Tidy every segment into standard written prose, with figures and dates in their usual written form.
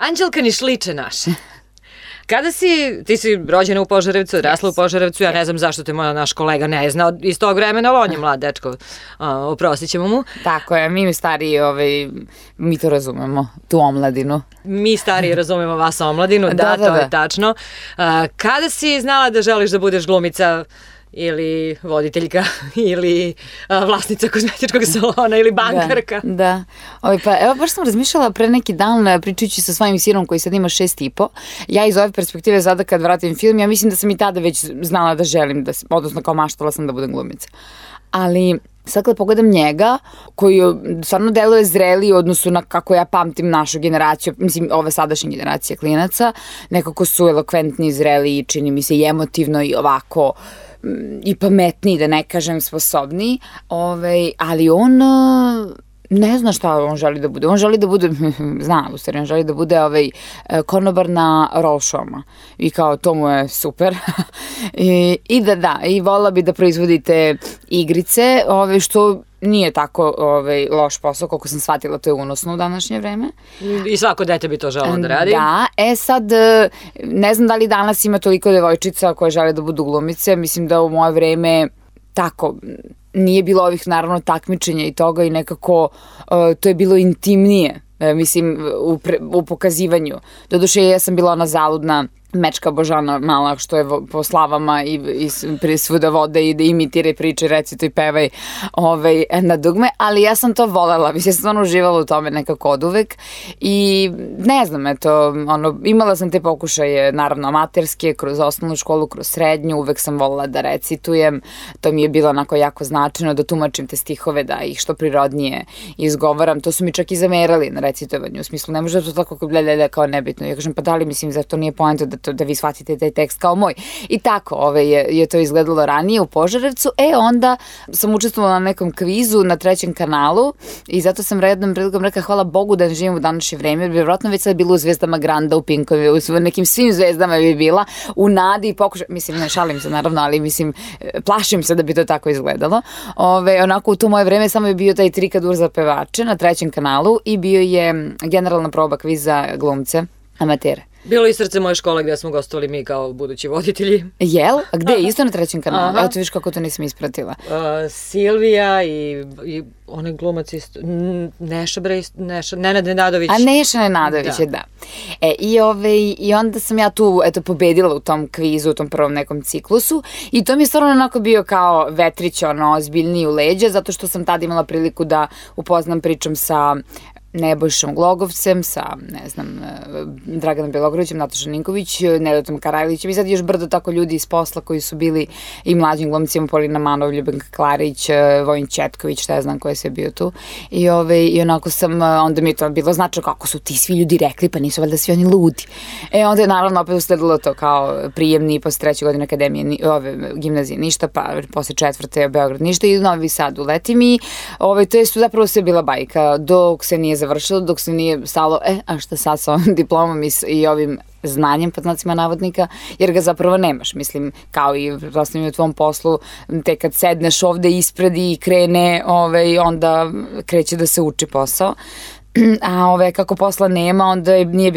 Anđelka Nišliče naša. Ti si rođena u Požarevcu, odrasla u Požarevcu, ja ne znam zašto te naš kolega ne zna iz tog vremena, ali on je mlad dečko, oprostit ćemo mu. Tako je, mi stariji, mi to razumemo, tu omladinu. Mi stariji razumemo vas omladinu, da, to je tačno. Kada si znala da želiš da budeš glumica ili voditeljka ili vlasnica kozmetičkog salona ili bankarka? Da. Pa evo, baš sam razmišljala pre neki dan pričajući sa svojim sinom koji sad ima 6,5. Ja iz ove perspektive sada kad vratim film, ja mislim da sam i tada već znala da želim, odnosno kao maštala sam da budem glumica. Ali sad kada pogledam njega, koji stvarno deluje zreliji u odnosu na kako ja pamtim našu generaciju, mislim ove sadašnje generacije klinaca, nekako su elokventni, zreliji, čini mi se i emotivno i ovako i pametniji, da ne kažem sposobniji, ali on ne zna šta on želi da bude. On želi da bude, on želi da bude konobar na roll show-ma. I kao, to mu je super. I volila bi da proizvodite igrice, što nije tako loš posao, koliko sam shvatila, to je unosno u današnje vreme. I svako dete bi to želelo da radi. Da, sad, ne znam da li danas ima toliko devojčica koje žele da budu glumice, mislim da u moje vreme tako, nije bilo ovih naravno takmičenja i toga i nekako to je bilo intimnije, mislim, u pokazivanju. Doduše, ja sam bila ona zaludna mečka Božana mala, što je po slavama i svuda vode i da imitira i priče, recituj, pevaj na dugme, ali ja sam to volela, mislim, ja sam stvarno uživala u tome nekako od uvek i ne znam, imala sam te pokušaje, naravno, amaterske, kroz osnovnu školu, kroz srednju, uvek sam volela da recitujem, to mi je bilo onako jako značajno, da tumačim te stihove, da ih što prirodnije izgovaram, to su mi čak i zamerali na recitovanju, u smislu, ne može da to tako kao nebitno, ja kažem, pa da li, mislim, zar to nije poenta da vi shvatite taj tekst kao moj. I tako je to izgledalo ranije u Požarevcu. Onda sam učestvovala na nekom kvizu na 3. kanalu i zato sam jednom prilikom rekla hvala Bogu da ne živim u današnje vreme, jer bi vjerojatno već sad bila u Zvezdama Granda, u Pinkovi, u nekim svim zvezdama bi bila, u nadi i pokušaj, mislim, ne šalim se naravno, ali mislim, plašim se da bi to tako izgledalo. Onako u to moje vreme samo je bio taj trikadur za pevače na 3. kanalu i bio je generalna proba kviza glumce, amatere. Bilo i Srce moje škole gde smo gostovali mi kao budući voditelji. Jel? A gde? Isto na 3. kanalu? Evo ti viš kako to nisam ispratila. Silvija i onaj glumac isto, Nenad Nenadović. A Neša Nenadović je, da. I onda sam ja tu, pobedila u tom kvizu, u tom prvom nekom ciklusu i to mi je stvarno onako bio kao vetrić, ozbiljniji u leđa, zato što sam tada imala priliku da upoznam pričam sa Nebojšom Glogovcem, sa, ne znam, Draganom Bjelogrlićem, Natašom Ninković, Nedotom Karajlićem i sad još brdo tako ljudi iz posla koji su bili i mlađim glumcima, Polina Manov, Ljubenka Klarić, Vojin Četković, šta ja znam ko je sve bio tu. I onako sam, onda mi je to bilo značajno kako su ti svi ljudi rekli, pa nisu valjda svi oni ludi. Onda je naravno opet usledilo to kao prijemni posle 3. godine akademije, gimnazije ništa, pa posle 4. Beograd ništa i Novi Sad uletim i to je zapravo sve bila bajka dok se nije završilo, dok se nije stalo, a šta sad sa ovim diplomom i ovim znanjem, pod znacima navodnika, jer ga zapravo nemaš, mislim, kao i u tvom poslu, te kad sedneš ovde ispred i krene, onda kreće da se uči posao. A kako posla nema, onda nije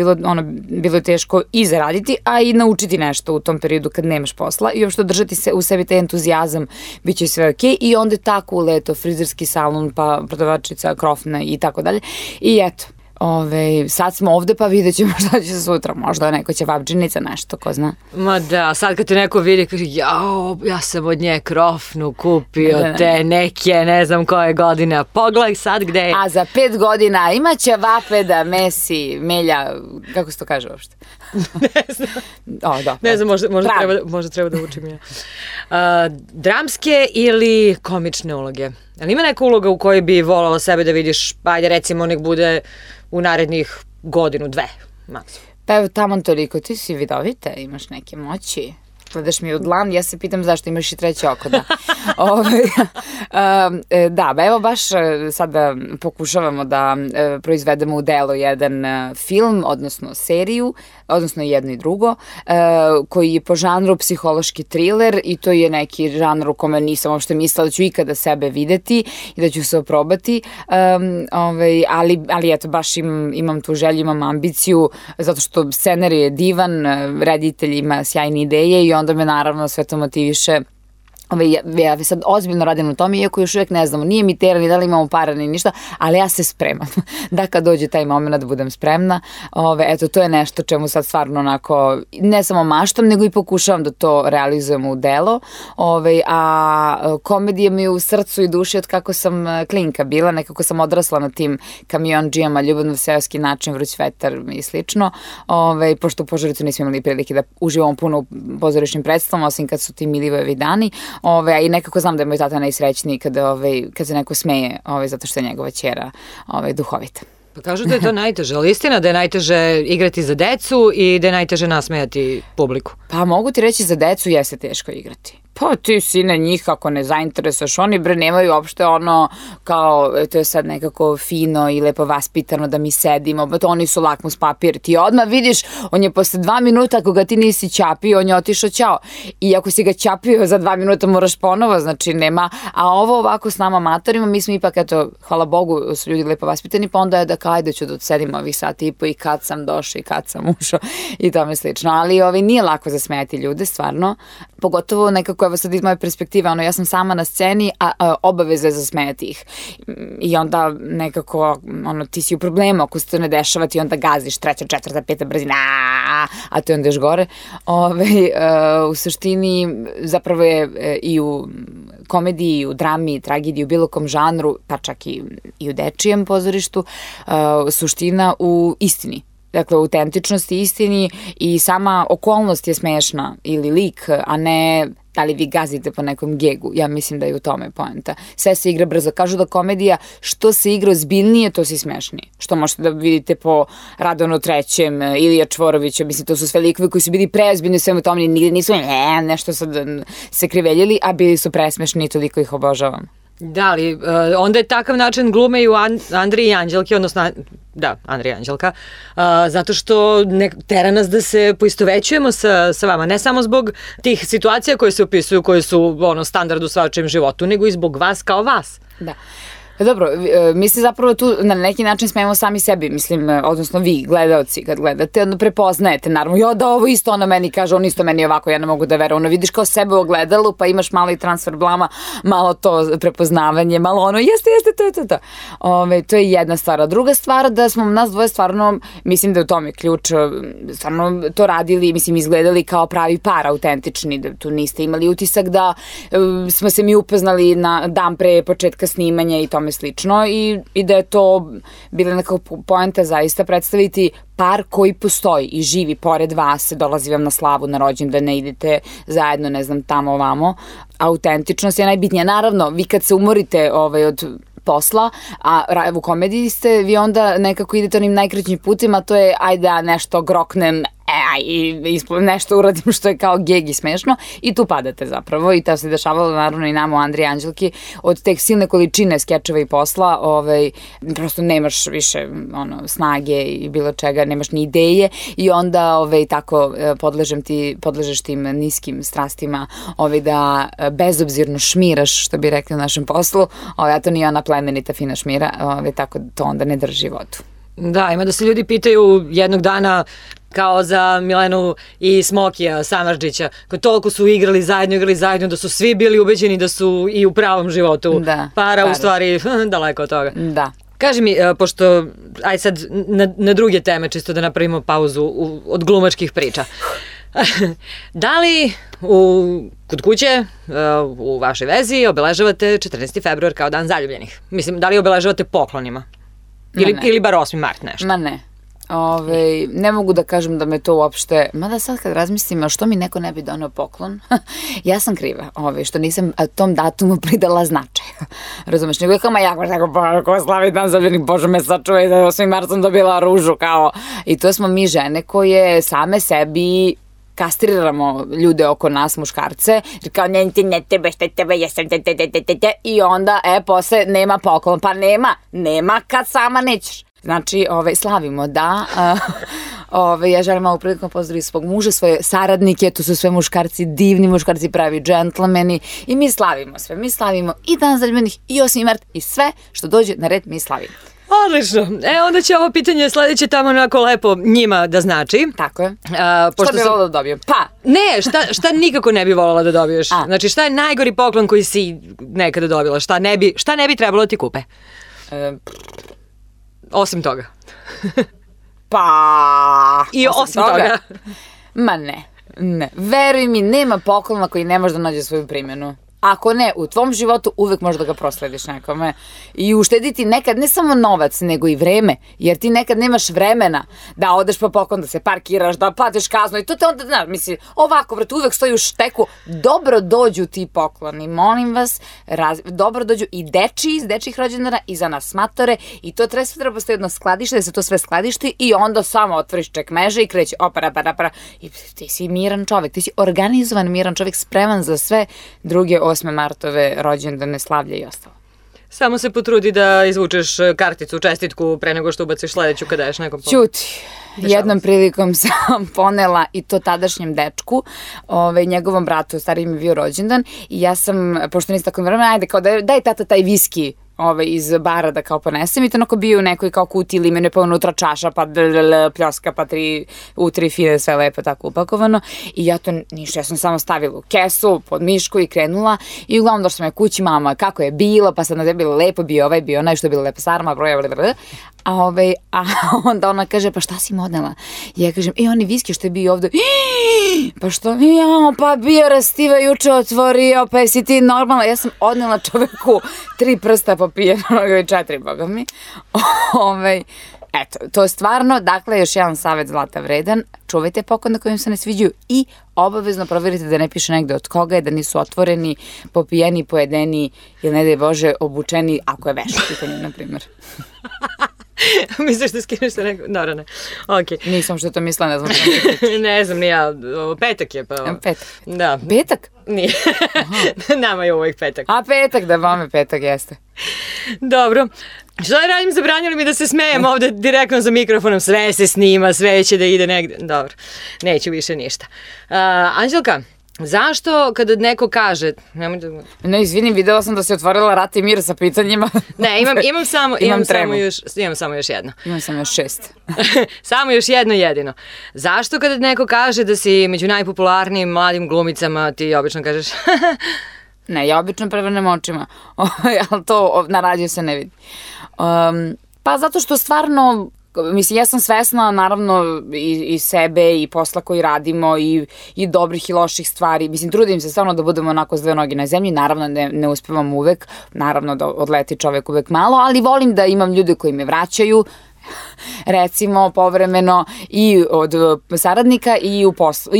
bilo teško i zaraditi, a i naučiti nešto u tom periodu kad nemaš posla i uopšte držati se u sebi taj entuzijazam, bit će sve okej. I onda tako uleto frizerski salon, pa prodavačica, krofna i tako dalje. I eto, sad smo ovde pa vidjet ćemo šta će se sutra, možda neko će vabdžinica, nešto, ko zna. Ma da, sad kad te neko vidi kaže ja sam od nje krofnu kupio te neke, ne znam koje godine, pogledaj sad gde je. A za 5 godina imaće vapeda, mesi, melja, kako se to kaže uopšte? Ne znam. Ne znam, možda treba da učim ja. Dramske ili komične uloge? Ali ima neka uloga u kojoj bi volala sebe da vidiš, ajde recimo nek bude u narednih godinu, 2, maksimum? Pa evo, taman toliko, ti si vidovita, imaš neke moći. gledaš mi u dlan, ja se pitam zašto imaš i treće oko, da. Da, evo baš sada pokušavamo da proizvedemo u delo jedan film, odnosno seriju, odnosno jedno i drugo, koji je po žanru psihološki thriller i to je neki žanr u kome nisam uopšte mislila da ću ikada sebe videti i da ću se oprobati, ali eto, baš imam tu želju, imam ambiciju, zato što scenarij je divan, reditelj ima sjajne ideje i onda me naravno sve to motiviše. Ja sad ozbiljno radim na tome, iako još uvijek ne znamo, nije mi tera ni da li imamo para ni ništa, ali ja se spremam da kad dođe taj moment da budem spremna. Eto, to je nešto čemu sad stvarno onako, ne samo maštam, nego i pokušavam da to realizujem u delo. A komedija mi je u srcu i duši od kako sam klinka bila, nekako sam odrasla na tim kamionđijama, ljubavno seoski način, vruć vetar i slično. Pošto u Požarevcu nismo imali prilike da uživamo puno u pozorišnim predstavama, osim kad su ti Milivojevi dani. I nekako znam da je moj tata najsrećniji kad se neko smeje, zato što je njegova ćera duhovita. Pa kažu da je to najteže, ali istina da je najteže igrati za decu i da je najteže nasmejati publiku. Pa mogu ti reći, za decu jeste teško igrati. Pa ti sine njih ako ne zainteresuješ, oni nemaju uopšte ono kao to je sad nekako fino i lepo vaspitano da mi sedimo, pa to oni su lakmus papir, ti odmah vidiš, on je posle 2 minuta ako ga ti nisi ćapio, on je otišao ćao, i ako si ga ćapio za 2 minuta moraš ponovo, znači nema, a ovo ovako s nama amatorima, mi smo ipak, eto, hvala Bogu su ljudi lepo vaspitani, pa onda je da kajde ću da sedimo ovih sati i po i kad sam došao i kad sam ušao i tome slično, ali nije lako zasmejati ljude, stvarno, pogotovo nekako evo sad iz moje perspektive, ja sam sama na sceni, a obaveza je zasmejati ih. I onda nekako, ti si u problemu, ako se to ne dešava, ti onda gaziš 3., 4., 5. brzina, a to je onda još gore. U suštini, zapravo je i u komediji, i u drami, i tragediji, u bilo kom žanru, pa čak i u dečijem pozorištu, suština u istini. Dakle, autentičnosti, istini i sama okolnost je smešna ili lik, a ne da li vi gazite po nekom gegu. Ja mislim da je u tome poenta. Sve se igra brzo. Kažu da komedija, što se igra ozbiljnije, to si smešniji. Što možete da vidite po Radovanu Trećem, Ilija Čvorovića, mislim, to su sve likovi koji su bili preozbiljni u svemu tome, nisu nešto sad se kriveljili, a bili su presmešni i toliko ih obožavam. Da, ali onda je takav način glume i u Andri i Anđelki, odnosno, da, Andri i Anđelka, zato što tera nas da se poistovećujemo sa vama, ne samo zbog tih situacija koje se opisuju, koje su standard u svačijem životu, nego i zbog vas kao vas. Da. Dobro, mi se zapravo tu na neki način smijemo sami sebi, mislim, odnosno vi, gledaoci, kad gledate, onda prepoznajete, naravno, da ovo isto ona meni kaže, on isto meni ovako, ja ne mogu da verujem, vidiš kao sebe u ogledalu, pa imaš malo i transfer blama, malo to prepoznavanje, malo jeste, to. To je jedna stvar. A druga stvar, da smo nas dvoje stvarno, mislim da je u tome ključ, stvarno to radili, mislim, izgledali kao pravi par, autentični, da tu niste imali utisak da smo se mi upoznali na dan pre početka snimanja i tome slično i da je to bila neka poenta zaista predstaviti par koji postoji i živi pored vas, dolazi vam na slavu, na rođendane, idete zajedno, ne znam, tamo ovamo. Autentičnost je najbitnija. Naravno, vi kad se umorite od posla, a u komediji ste, vi onda nekako idete onim najkraćim putima, to je ajde da nešto groknem, i nešto uradim što je kao geg i smešno i tu padate zapravo i to se dešavalo naravno i nama u Andri i Anđelki od tek silne količine skečeva i posla, prosto nemaš više snage i bilo čega, nemaš ni ideje i onda tako podležeš tim niskim strastima da bezobzirno šmiraš, što bi rekli u našem poslu, a to nije ona plemenita fina šmira, tako to onda ne drži vodu. Da, ima da se ljudi pitaju jednog dana kao za Milenu i Smokija Samardžića, koji toliko su igrali zajedno, da su svi bili ubeđeni da su i u pravom životu para, u stvari daleko od toga. Da. Kaži mi, pošto, aj sad na druge teme, čisto da napravimo pauzu od glumačkih priča. Da li kod kuće u vašoj vezi obeležavate 14. februar kao dan zaljubljenih? Mislim, da li obeležavate poklonima? Ili bar 8. mart nešto? Ma ne. Ne mogu da kažem da me to uopšte, mada sad kad razmislim, a što mi neko ne bi doneo poklon, ja sam kriva, što nisam tom datumu pridala značaj. Razumeš, nego je kao, ko slavi dan zaljubljenih, Bože me sačuvaj da 8. mart sam dobila ružu, kao, i to smo mi žene koje same sebi kastriramo ljude oko nas, muškarce, jer kao ne tebe, šta tebe, jesam, i onda, posle nema poklon, pa nema kad sama nećeš. Znači, slavimo, da. Ja želim malo prilikom pozdraviti svog muža, svoje saradnike, to su sve muškarci, divni muškarci, pravi džentlmeni i mi slavimo sve. Mi slavimo i Dan zaljubljenih i 8. mart i sve što dođe na red mi slavimo. Odlično. Onda će ovo pitanje sledeće tamo onako lepo njima da znači. Tako je. Šta bi volila da dobijem? Pa! Ne, šta nikako ne bi volila da dobiješ? Znači, šta je najgori poklon koji si nekada dobila? Šta ne bi trebalo da ti kupe? Osim toga. Pa... I osim toga. Ma ne. Veruj mi, nema poklona koji ne može da nađe svoju primjenu. Ako ne, u tvom životu uvek možeš da ga proslediš nekome i uštediti nekad ne samo novac, nego i vreme, jer ti nekad nemaš vremena da odeš po poklon, da se parkiraš, da platiš kaznu i to te onda, znaš, misli, ovako, vrat, uvek stoji u šteku, dobro dođu ti pokloni, molim vas, dobro dođu i dečiji iz dečjih rođendana i za nas matore i to treba postoji jedno skladište, da se to sve skladišti i onda samo otvoriš čekmeže i kreće opara i ti si miran čovek, ti si organizovan miran čovek, spreman za sve druge 8. martove rođendane, slavlje i ostalo. Samo se potrudi da izvučeš karticu, čestitku pre nego što ubaciš sledeću kada ješ nekom pomoć. Ćuti. Jednom prilikom sam ponela i to tadašnjem dečku, njegovom bratu, stariji mi je bio rođendan i ja sam, pošto nisi tako vremena, ajde kao daj tata taj viski iz bara da kao ponesem i to onako bio u nekoj kao kutiji limene, pa unutra čaša, pa pljoska, pa u 3 fine, sve lepo tako upakovano i ja to ništa, ja sam samo stavila u kesu, pod mišku i krenula i uglavnom došla sam je kući, mama, kako je bilo, pa sad na tebi bilo lepo, bio ovaj, bio onaj, što je bilo lepo sarma, a onda ona kaže, pa šta si mu odnela? Ja kažem, oni viski što je bio ovde, pa što, pa bio rastiva juče otvorio, pa jesi ti normalna, ja sam odnela čoveku 3 prsta popijeno, 4, boga mi. Eto, to je stvarno, dakle, još jedan savjet zlata vredan, čuvajte poklon na kojim se ne sviđaju i obavezno proverite da ne piše negde od koga je, da nisu otvoreni, popijeni, pojedeni ili ne daj Bože obučeni, ako je veš u pitanju, na primjer. Misliš da skineš se neko? Dobro, ne. Ok. Nisam što to mislila, ne znam. Ne znam, ni ja. Petak je, pa... Petak? Da. Petak? Nije. Nama je uvijek petak. A petak, da vame petak jeste. Dobro. Šta da radim, zabranjali mi da se smejem ovde direktno za mikrofonom, sve se snima, sve će da ide negde. Dobro, neću više ništa. Anđelka, zašto kada neko kaže... Ne, izvinim, videla sam da si otvorila Rat i mir sa pitanjima. Ne, imam samo još jedno. Imam samo još 6. Samo još jedno jedino. Zašto kada neko kaže da si među najpopularnijim mladim glumicama, ti obično kažeš... Ne, ja obično prevrnem očima, ali to na radiju se ne vidi. Pa zato što stvarno, mislim, ja sam svesna naravno i sebe i posla koji radimo i dobrih i loših stvari. Mislim, trudim se stvarno da budemo onako s 2 noge na zemlji, naravno ne uspevam uvek, naravno da odleti čovek uvek malo, ali volim da imam ljude koji me vraćaju, recimo povremeno i od saradnika i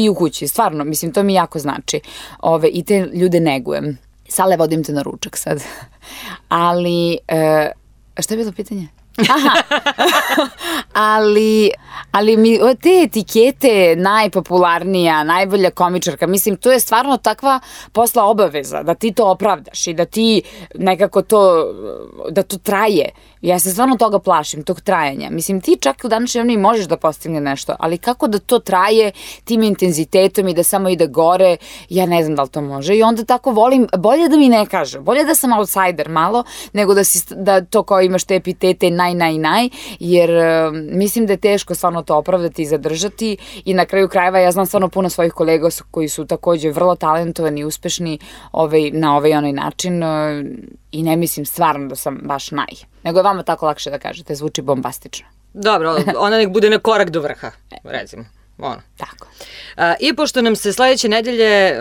u kući, stvarno, mislim, to mi jako znači. I te ljude negujem. Sale, vodim te na ručak sad. Ali, šta je bilo pitanje? ali mi te etikete najpopularnija, najbolja komičarka, mislim, to je stvarno takva posla obaveza, da ti to opravdaš i da ti nekako da to traje. Ja se stvarno toga plašim, tog trajanja. Mislim, ti čak u današnjem vremenu možeš da postigne nešto, ali kako da to traje tim intenzitetom i da samo ide gore, ja ne znam da li to može. I onda tako volim, bolje da mi ne kaže, bolje da sam outsider malo, nego da to kao imaš te epitete naj, jer mislim da je teško stvarno to opravdati i zadržati i na kraju krajeva ja znam stvarno puno svojih kolega koji su takođe vrlo talentovani i uspešni na onaj način i ne mislim stvarno da sam baš nego je vama tako lakše da kažete, zvuči bombastično. Dobro, ona nek bude na korak do vrha, recimo. Tako. I pošto nam se sledeće nedelje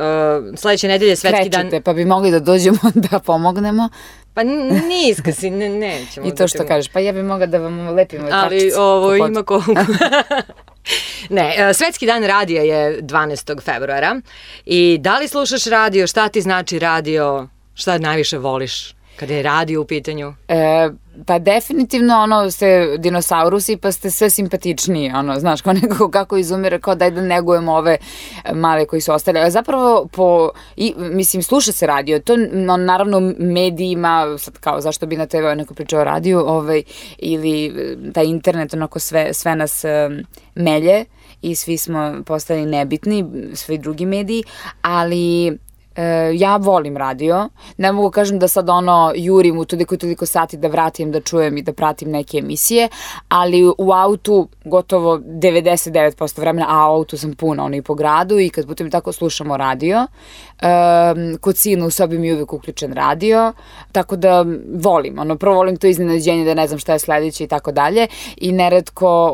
svetski dan... Krećete, pa bi mogli da dođemo da pomognemo. Pa niska si, nećemo. I to što kažeš, pa ja bi mogla da vam lepimo ali ovo ima koliko. Ne, Svetski dan radija je 12. februara i da li slušaš radio, šta ti znači radio, šta najviše voliš? Kada je radio u pitanju? Pa definitivno ste dinosaurusi pa ste sve simpatičniji, znaš, kao nekako kako izumire, kao daj da negujemo ove male koji su ostali. A zapravo, mislim, sluša se radio, to naravno medijima, sad kao zašto bi na TV neko pričao o radiju, ili taj internet, onako sve nas melje i svi smo postali nebitni, svi drugi mediji, ali ja volim radio, ne mogu kažem da sad jurim u toliko sati da vratim, da čujem i da pratim neke emisije, ali u autu gotovo 99% vremena, a u autu sam puna, i po gradu i kad putem tako slušamo radio, kod sina u sobi mi je uvek uključen radio, tako da volim, prvo volim to iznenađenje da ne znam šta je sledeće i tako dalje i neretko,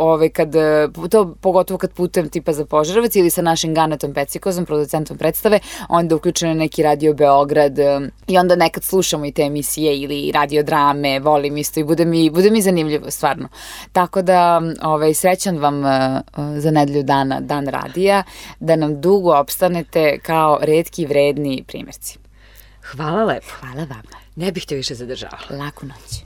pogotovo kad putem tipa za Požarevac ili sa našim Ganetom Pecikozom, producentom predstave, onda uključen neki Radio Beograd i onda nekad slušamo i te emisije ili radio drame, volim isto i bude mi zanimljivo, stvarno. Tako da, srećan vam za nedelju dana, dan radija, da nam dugo opstanete kao retki vredni primjerci. Hvala lepo. Hvala vama. Ne bih te više zadržavala. Laku noć.